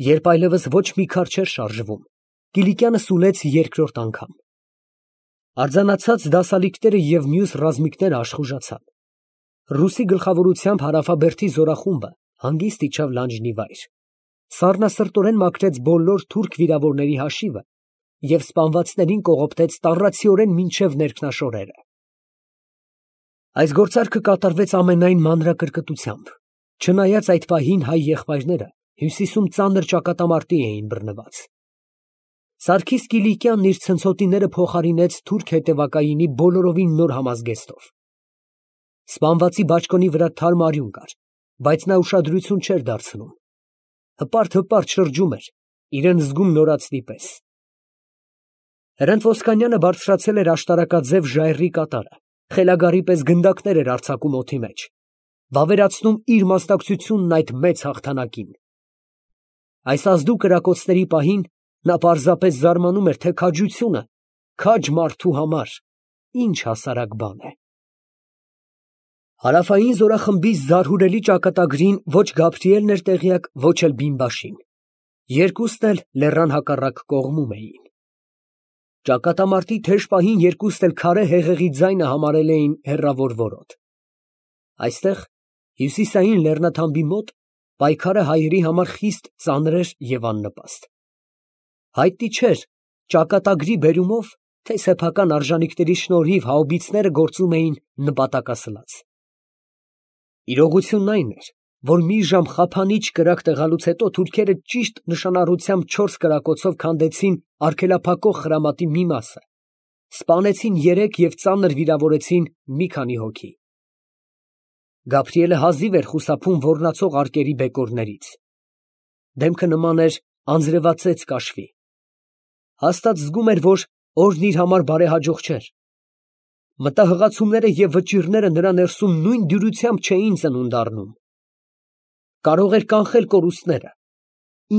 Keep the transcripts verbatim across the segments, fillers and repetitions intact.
Երբ այլևս ոչ մի քար չէր շարժվում, Կիլիկյանը սուլեց երկրորդ անգամ։ Արձանացած դասալիկները և մյուս ռազմիկները աշխուժացան։ Ռուսի գլխավորությամբ հարավաբերդի զորախումբը հանգիստ իջավ լանջնի վայր, սառնասրտորեն մաքրեց բոլոր թուրք վիրավորների հաշիվը և սպանվածներին կողոպտեց տառացիորեն մինչև ներքնաշորերը։ Այս գործարքը կատարվեց ամենայն մանրակրկտությամբ, չնայած այդ պահին հայ եղբայրները հյուսիսում ծանր ճակատամարտի էին բռնված։ Սարգիս Կիլիկյանն իր ցնցոտիները փոխարինեց թուրք հետևակայինի բոլորովին նոր համազգեստով։ Սպանվածի բաճկոնի վրա թարմ արյուն կար, բայց նա ուշադրություն չէր դարձնում։ Հպարտ֊հպարտ շրջում էր, իրան զգում նորածնի պես։ Հրանտ Ոսկանյանը բարձրացել էր աշտարակաձև ժայռի կատարը, խելագարի պես գնդակներ էր արձակում օդի մեջ, վավերացնում իր մասնակցությունն այդ մեծ հաղթանակին։ Այս ազդու կրակոցների պահին նա պարզապես զարմանում էր, թե քաջությունը քաջ մարդու համար ինչ հասարակ բան է։ Հարավային զորախմբի զարհուրելի ճակատագրին ոչ Գաբրիելն էր տեղյակ, ոչ էլ Բիմբաշին. երկուսն էլ լեռան հակառակ կողմում էին։ Ճակատամարտի թեժ պահին երկուսն էլ քարե հեղեղի ձայնը համարել էին հեռավոր որոտ։ Այստեղ, հյուսիսային լեռնաթամբի մոտ, պայքարը հայերի համար խիստ ծանր էր և աննպաստ։ Հայտնի չէր ճակատագրի բերումով, թե սեփական արժանիքների շնորհիվ հաուբիցները գործում էին նպատակասլաց։ Իրողությունն այն էր, որ մի ժամ խափանիչ կրակ տեղալուց հետո թուրքերը ճիշտ նշանառությամբ չորս կրակոցով քանդեցին արգելափակող խրամատի մի մասը, սպանեցին երեք և ծանր վիրավորեցին մի քանի հոգի։ Գաբրիելը հազիվ էր խուսափում ոռնացող արկերի բեկորներից։ Դեմքը նման էր անձրևածեց կաշվի։ Հաստատ զգում էր, որ օրն իր համար բարեհաջող չէր։ Մտահղացումները և վճիռները նրա ներսում նույն դյուրությամբ չէին ծնունդ առնում։ Կարող էր կանխել կորուստները,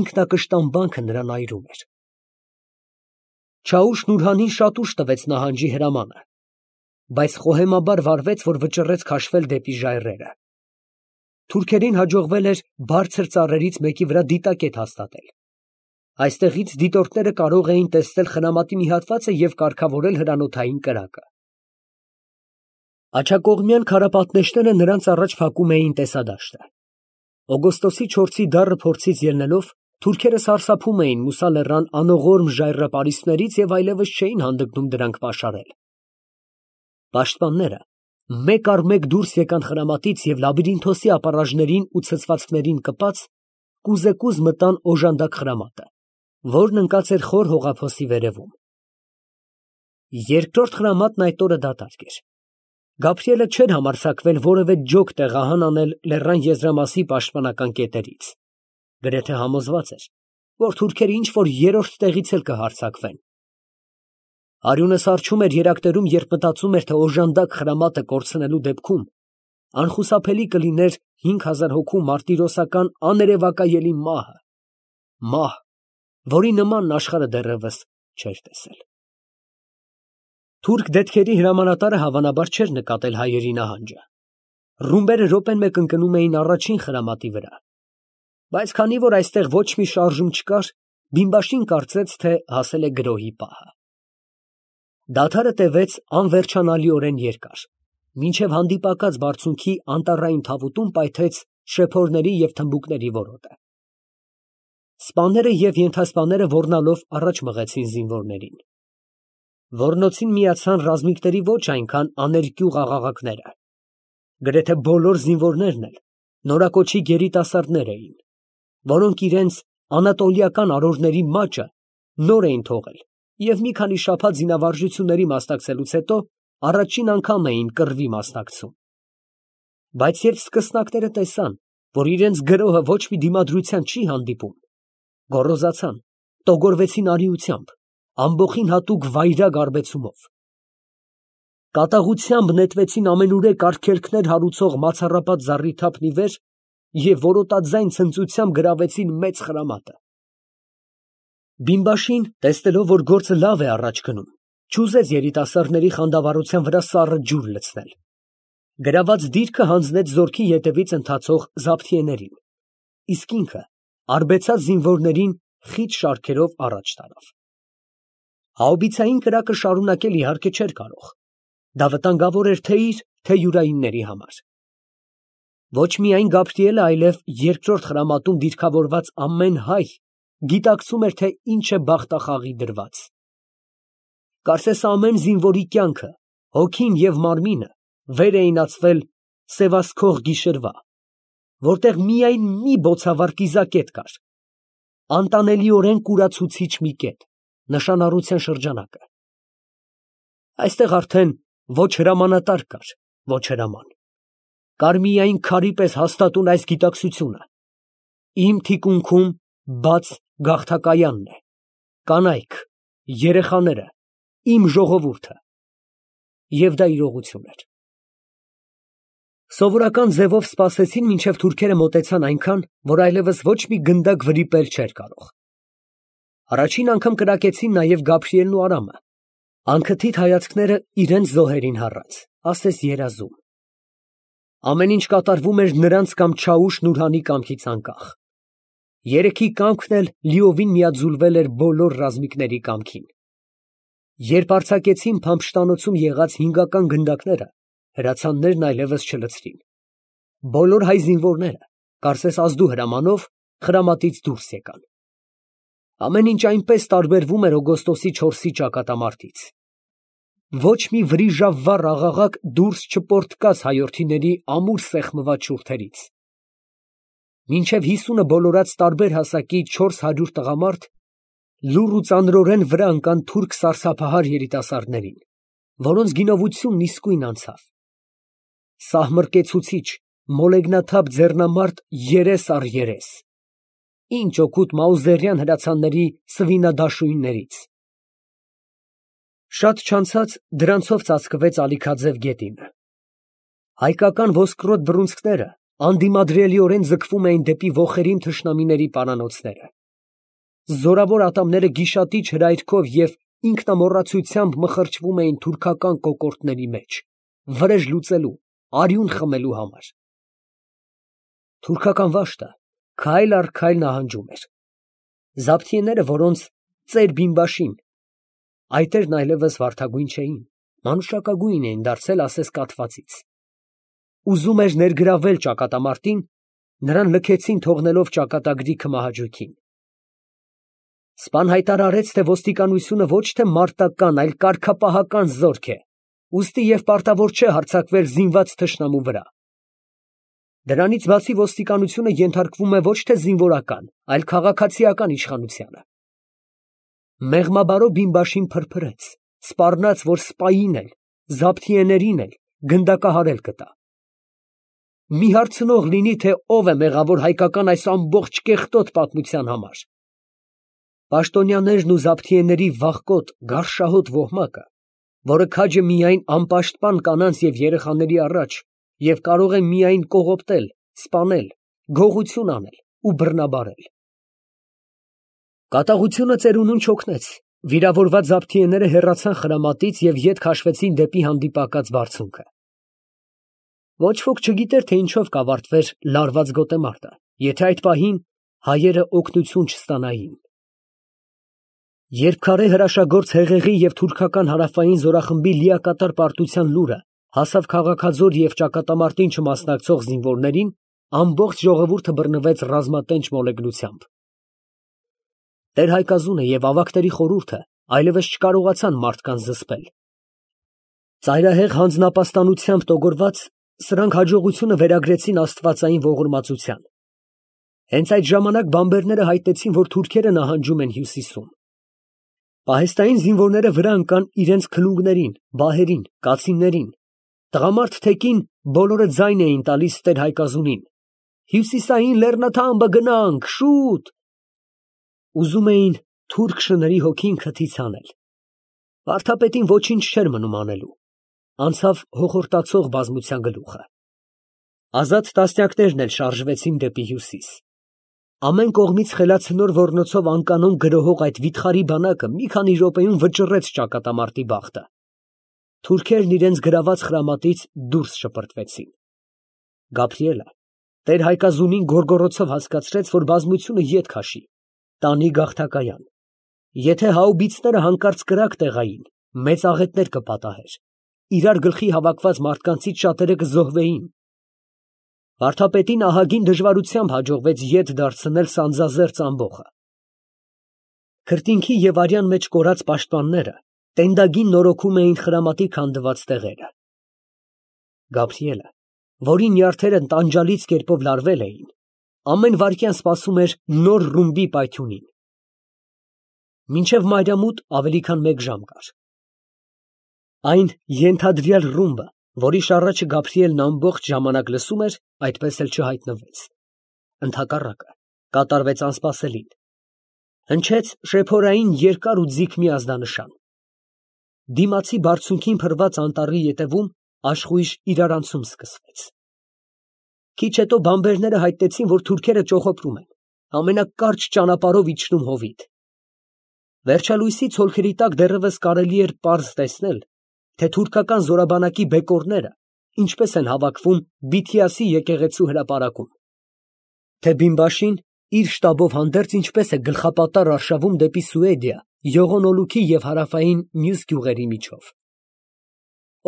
ինքնակշտամբանքը նրան այրում էր։ Չաուշ֊Նուրհանին շատ ուշ տվեց նահանջի հրամանը, բայց խոհեմաբար վարվեց, որ վճռեց քաշվել դեպի ժայռերը։ Թուրքերին հաջողվել էր բարձր ծառերից մեկի վրա դիտակետ հաստատել։ Այստեղից դիտորդները կարող էին տեսնել խրամատի մի հատվածը և կարգավորել հրանոթային կրակը։ Աջակողմյան քարապատնեշները նրանց առաջ փակում էին տեսադաշտը։ Օգոստոսի չորսի դառը փորձից ելնելով, թուրքերը սարսափում էին Մուսա լեռան անողորմ ժայռապարիսպներից և այլևս չէին հանդգնում դրանք պաշարել։ Պաշտպանները մեկ առ մեկ դուրս եկան խրամատից և լաբիրինթոսի ապառաժներին ու ցցվածքներին կպած, կուզեկուզ մտան օժանդակ խրամատը, որն ընկած էր խոր հողափոսի վերևում։ Երկրորդ խրամատն այդ օրը դատարկ էր։ Գաբրիելը չէր համարձակվել որևէ ջոկ տեղահան անել լեռան եզրամասի պաշտպանական կետերից։ Գրեթե համոզված էր, որ թուրքերը ինչ֊որ երրորդ տեղից էլ կհարձակվեն։ Արյունը սառչում էր երակներում, երբ մտածում էր, թե օժանդակ խրամատը կորցնելու դեպքում անխուսափելի կլիներ հինգ հազար հոգու մարտիրոսական աներևակայելի մահը, մահ, որի նմանն աշխարհը դեռևս չէր տեսել։ Թուրք դետքերի հրամանատարը հավանաբար չէր նկատել հայերի նահանջը։ Ռումբերը րոպեն մեկ ընկնում էին առաջին խրամատի վրա։ Բայց քանի որ այստեղ ոչ մի շարժում չկար, Բիմբաշին կարծեց, թե հասել է գրոհի պահը։ Դադարը տևեց անվերջանալիորեն երկար, մինչև հանդիպակաց բարձունքի անտառային թավուտում պայթեց շեփորների և թմբուկների որոտը։ Սպաները և ենթասպաները ոռնալով առաջ մղեցին զինվորներին։ Ոռնոցին միացան ռազմիկների ոչ այնքան աներկյուղ աղաղակները։ Գրեթե բոլոր զինվորներն էլ նորակոչի երիտասարդներ էին, որոնք իրենց անատոլիական արորների մաճը նոր էին թողել և մի քանի շաբաթ զինավարժությունների մասնակցելուց հետո առաջին անգամ էին կռվի մասնակցում։ Բայց երբ սկսնակները տեսան, որ իրենց գրոհը ոչ մի դիմադրության չի հանդիպում, գոռոզացան, տոգորվեցին արիությամբ, ամբոխին հատուկ վայրագ արբեցումով։ Կատաղությամբ նետվեցին ամենուրեք արգելքներ հարուցող մացառապատ զառիթափն ի վեր և որոտաձայն ցնծությամբ գրավեցին մեծ խրամատը։ Բիմբաշին, տեսնելով, որ գործը լավ է առաջ գնում, չուզեց երիտասարդների խանդավառության վրա սառը ջուր լցնել։ Գրաված դիրքը հանձնեց զորքի ետևից ընթացող զաբթիեներին, իսկ ինքը արբեցած զինվորներին խիտ շարքերով առաջ տարավ։ Հաուբիցային կրակը շարունակել իհարկե չէր կարող. դա վտանգավոր էր թե իր, թե յուրայինների համար։ Ոչ միայն Գաբրիելը, այլև երկրորդ խրամատում դիրքավորված ամեն հայ գիտակցում էր, թե ինչ է բախտախաղի դրված։ Կարծես ամեն զինվորի կյանքը, հոգին և մարմինը վեր էին ածվել սևասքող գիշերվա, որտեղ միայն մի բոցավառ կիզակետ կար, անտանելիորեն կուրացուցիչ մի կետ, նշանառության շրջանակը։ Այստեղ արդեն ոչ հրամանատար կար, ոչ հրաման, կար միայն քարի պես հաստատուն այս գիտակցությունը. իմ թիկունքում բաց գաղթակայանն է, կանայք, երեխաները, իմ ժողովուրդը, և դա իրողություն էր։ Սովորական ձևով սպասեցին, մինչև թուրքերը մոտեցան այնքան, որ այլևս ոչ մի գնդակ վրիպել չէր կարող։ Առաջին անգամ կրակեցին նաև Գաբրիելն ու Արամը, անքթիթ հայացքները իրենց զոհերին հառած, ասես երազում։ Ամեն ինչ կատարվում էր նրանց կամ Չաուշ Նուրհանի կամքից անկախ։ Երեքի կամքն էլ լիովին միաձուլվել էր բոլոր ռազմիկների կամքին։ Երբ արձակեցին Փամփշտանոցում եղած հինգական գնդակները, հրացաններն այլևս չլցրին։ Բոլոր հայ զինվորները, կարծես ազդու հրամանով, խրամատից դուրս եկան։ Ամեն ինչ այնպես տարբերվում էր օգոստոսի չորսի ճակատամարտից։ Ոչ մի վրիժավառ աղաղակ դուրս չպորտկաց հայորդիների ամուր սեղմված շուրթերից։ Մինչև հիսունը բոլորած տարբեր հասակի չորս հարյուր տղամարդ լուռ ու ծանրորեն վրա ընկան թուրք սարսափահար երիտասարդներին, որոնց գինովությունն իսկույն անցավ։ Սահմռկեցուցիչ, մոլեգնաթափ ձեռնամարտ երես առ երես։ Ինչ օգուտ Մաուզերյան հրացանների սվինադաշույններից։ Շատ չանցած դրանցով ծածկվեց Ալիքաձև գետինը։ Հայկական ոսկրոտ բռունցքները անդիմադրելիորեն ձգվում էին դեպի ոխերիմ թշնամիների պարանոցները։ Զորավոր ատամները գիշատիչ հրայրքով և ինքնամոռացությամբ մխրճվում էին թուրքական կոկորդների մեջ, վրեժ լուծելու, արյուն խմելու համար։ Թուրքական վաշտը քայլ առ քայլ նահանջում էր։ Զաբթիեները, որոնց ծեր բիմբաշին, այտերն այլևս վարդագույն չէին, մանուշակագույն էին դարձել, ասես կաթվածից։ Ուզում էր ներգրավել ճակատամարտին, նրան լքեցին, թողնելով ճակատագրի քմահաճույքին։ Սպան հայտարարեց, թե ոստիկանությունը ոչ թե մարտական, այլ կարգապահական զորք է, ուստի և պարտավոր չէ հարձակվել զինված թշնամու վրա։ Դրանից բացի ոստիկանությունը ենթարկվում է ոչ թե զինվորական, այլ քաղաքացիական իշխանությանը։ Մեղմաբարո բիմբաշին փրփրեց, սպառնաց, որ սպային էլ, զաբթիեներին էլ գնդակահարել կտա։ Մի հարցնող լինի, թե ով է մեղավոր հայկական այս ամբողջ կեղտոտ պատմության համար։ Պաշտոնյաներն ու զաբթիեների վախկոտ, գարշահոտ ոհմակը, որը քաջ է միայն անպաշտպան կանանց և երեխաների առաջ և կարող է միայն կողոպտել, սպանել, գողություն անել ու բռնաբարել։ Կատաղությունը ծերունուն չօգնեց, վիրավորված զաբթիեները հեռացան խրամատից և ետ քաշվեցին դեպի հանդիպակաց բարձունքը։ Ոչ ոք չգիտեր, թե ինչով կավարտվեր լարված գոտեմարտը, եթե այդ պահին հայերը օգնություն չստանային։ Երբ քարե հրաշագործ Հեղեղի և թուրքական հարավային զորախմբի լիակատար պարտության լուրը հասավ քաղաքաձոր և ճակատամարտին չմասնակցող զինվորներին, ամբողջ ժողովուրդը բռնվեց ռազմատենչ մոլեգնությամբ։ Տեր֊Հայկազունը և ավագների խորհուրդը այլևս չկարողացան մարդկանց զսպել։ Ծայրահեղ հանձնապաստանությամբ տոգորված, սրանք հաջողությունը վերագրեցին աստվածային ողորմածության։ Հենց այդ ժամանակ բամբերները հայտնեցին, որ թուրքերը նահանջում են հյուսիսում։ Պահեստային զինվորները վրա ընկան իրենց քլունգներին, բահերին, կացիններին։ Տղամարդ թեկին բոլորը ձայն էին տալիս Տեր֊Հայկազունին. «Հյուսիսային լեռնաթամբը գնանք, շուտ»։ Ուզում էին թուրք շների հոգին քթից հանել։ Վարդապետին ոչինչ չէր մնում անելու։ Անցավ հոխորտացող բազմության գլուխը։ Ազատ տասնյակներն էլ շարժվեցին դեպի հյուսիս։ Ամեն կողմից խելացնոր ոռնոցով անկանոն գրոհող այդ վիթխարի բանակը մի քանի րոպեում վճռեց ճակատամարտի բախտը։ Թուրքերն իրենց գրաված խրամատից դուրս շպրտվեցին։ Գաբրիելը Տեր֊Հայկազունին գոռգոռոցով հասկացրեց, որ բազմությունը ետ քաշի, տանի գաղթակայան. եթե հաուբիցները հանկարծ կրակ տեղային, մեծ աղետներ կպատահեր, իրար գլխի հավաքված մարդկանցից շատերը կզոհվեին։ Վարդապետին ահագին դժվարությամբ հաջողվեց ետ դարձնել սանձազերծ ամբոխը։ Քրտինքի և արյան մեջ կորած պաշտպանները տենդագին նորոգում էին խրամատի քանդված տեղերը։ Գաբրիելը, որի նյարդերը տանջալից կերպով լարվել էին, ամեն վայրկյան սպասում էր նոր ռումբի պայթյունին։ Մինչև մայրամուտ ավելի քան մեկ ժամ կար։ Այն ենթադրյալ ռումբը, որի շառաչը Գաբրիելն ամբողջ ժամանակ լսում էր, այդպես էլ չհայտնվեց։ Ընդհակառակը, կատարվեց անսպասելին։ Հնչեց շեփորային երկար ու ձիգ մի ազդանշան։ Դիմացի բարձունքին փռված անտառի ետևում աշխույժ իրարանցում սկսվեց։ Քիչ հետո բանբերները հայտնեցին, որ թուրքերը ճոխոպրում են, ամենակարճ ճանապարհով իջնում հովիտ։ Վերջալույսի ցոլքերի տակ դեռևս կարելի էր պարզ տեսնել, թե թուրքական զորաբանակի բեկորները ինչպես են հավաքվում Բիթիասի եկեղեցու հրապարակում, թե Բիմբաշին իր շտաբով հանդերձ ինչպես է գլխապատառ արշավում դեպի Սուեդիա, Յողոնոլուքի և հարավային մյուս գյուղերի միջով։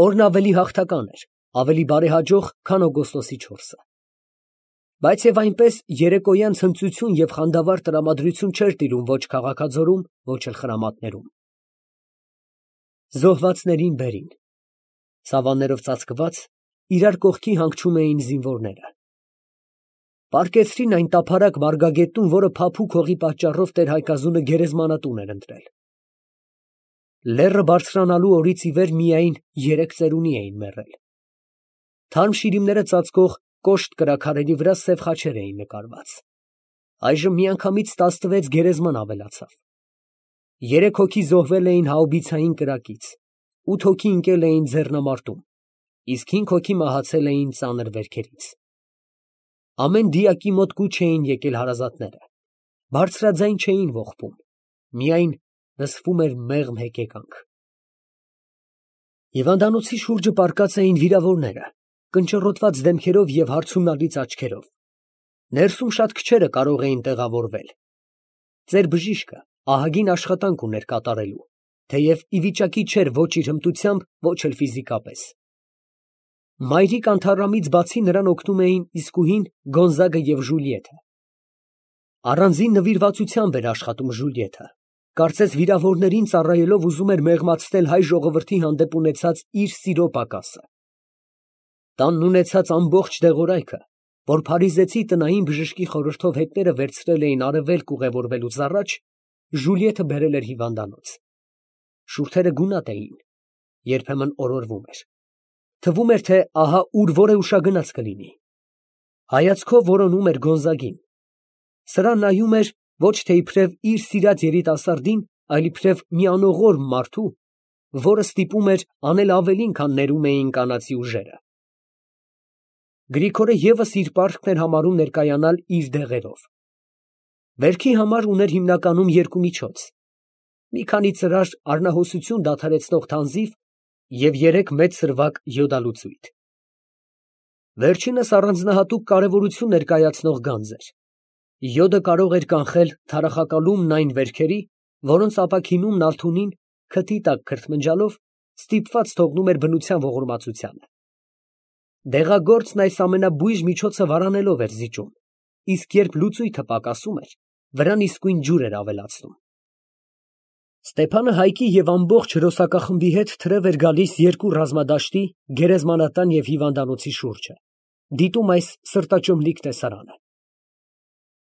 Օրն ավելի հաղթական էր, ավելի բարեհաջող, քան օգոստոսի չորսը։ Բայց և այնպես երեկոյան ցնծություն և խանդավառ տրամադրություն չէր տիրում ոչ քաղաքաձորում, ոչ էլ խրամատներում։ Զոհվածներին բերին։ Սավաններով ծածկված, իրար կողքի հանգչում էին զինվորները։ Պառկեցրին այն տափարակ մարգագետնում, որը փափուկ հողի պատճառով տեր֊Հայկազունը գերեզմանատուն էր ընտրել։ Լեռը բարձրանալու օրից ի վեր միայն երեք ծերունի էին մեռել։ Թարմ շիրիմները ծածկող կոշտ կրաքարերի վրա սև խաչեր էին նկարված։ Այժմ միանգամից տասնվեց գերեզման ավելացավ։ Երեք հոգի զոհվել էին հաուբիցային կրակից, ութ հոգի ընկել էին ձեռնամարտում, իսկ հինգ հոգի մահացել էին ծանր վերքերից։ Ամեն դիակի մոտ կուչ էին եկել հարազատները, բարձրաձայն չէին ողբում, միայն լսվում էր մեղմ հեկեկանք։ Հիվանդանոցի շուրջը պառկած էին վիրավորները, կնճռոտված դեմքերով և հարցումնալից աչքերով։ Ներսում շատ քչերը կարող էին տեղավորվել։ Ծեր բժիշկը ահագին աշխատանք ուներ կատարելու, թեև ի վիճակի չէր ոչ իր հմտությամբ, ոչ էլ ֆիզիկապես։ Մայրիկ Անթառամից բացի նրան օգնում էին իսկուհին, Գոնզագը և Ժուլիետը։ Առանձին նվիրվածությամբ էր աշխատում Ժուլիետը, կարծես վիրավորներին ծառայելով ուզում էր մեղմացնել հայ ժողովրդի հանդեպ ունեցած իր սիրո պակասը։ Տանն ունեցած ամբողջ դեղորայքը, որ փարիզեցի տնային բժշկի խորհրդով հետները վերցրել էին արևելք ուղևորվելուց առաջ, Ժուլիետը բերել էր հիվանդանոց։ Շուրթերը գունատ էին, երբեմն օրորվում էր։ Թվում էր, թե ահա ուր որ է ուշագնաց կլինի։ Հայացքով որոնում էր Գոնզագին։ Սրան նայում էր ոչ թե իբրև իր սիրած երիտասարդին, այլ իբրև մի անողորմ մարդու, որը ստիպում էր անել ավելին, քան ներում էին կանացի ուժերը։ Գրիգորը ևս իր պարտքն էր համարում ներկայանալ իր դեղերով։ Վերքի համար ուներ հիմնականում երկու միջոց. մի քանի ծրար արնահոսություն դադարեցնող թանձիվ և երեք մեծ սրվակ յոդալուծույթ։ Վերջինս առանձնահատուկ կարևորություն ներկայացնող գանձ էր։ Յոդը կարող էր կանխել թարախակալումն այն վերքերի, որոնց ապաքինում Նալթունին, քթի տակ քրթմնջալով, ստիպված թողնում էր բնության ողորմածությանը։ Դեղագործն այս ամենաբույժ միջոցը վարանելով էր զիջում, իսկ երբ լուծույթը պակասում էր, վրան իսկույն ջուր էր ավելացնում։ Ստեփանը Հայկի և ամբողջ հրոսակախմբի հետ թրև էր գալիս երկու ռազմադաշտի, գերեզմանատան և հիվանդանոցի շուրջը, դիտում այս սրտաճմլիկ տեսարանը։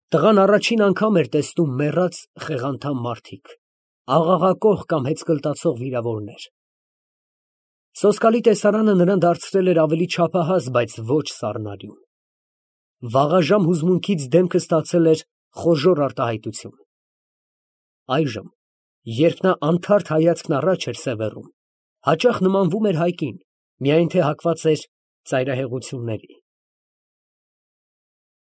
Տղան առաջին անգամ էր տեսնում մեռած խեղանդամ մարդիկ, աղաղակող կամ հեծկլտացող վիրավորներ։ Սոսկալի տեսարանը նրան դարձրել էր ավելի չափահաս, բայց ոչ սառնարյուն։ Վաղաժամ հուզմունքից դեմքը ստացել էր խոժոռ արտահայտություն։ Այժմ, երբ նա անթարթ հայացքն առաջ էր սևեռում, հաճախ նմանվում էր Հայկին, միայն թե հակված էր ծայրահեղությունների։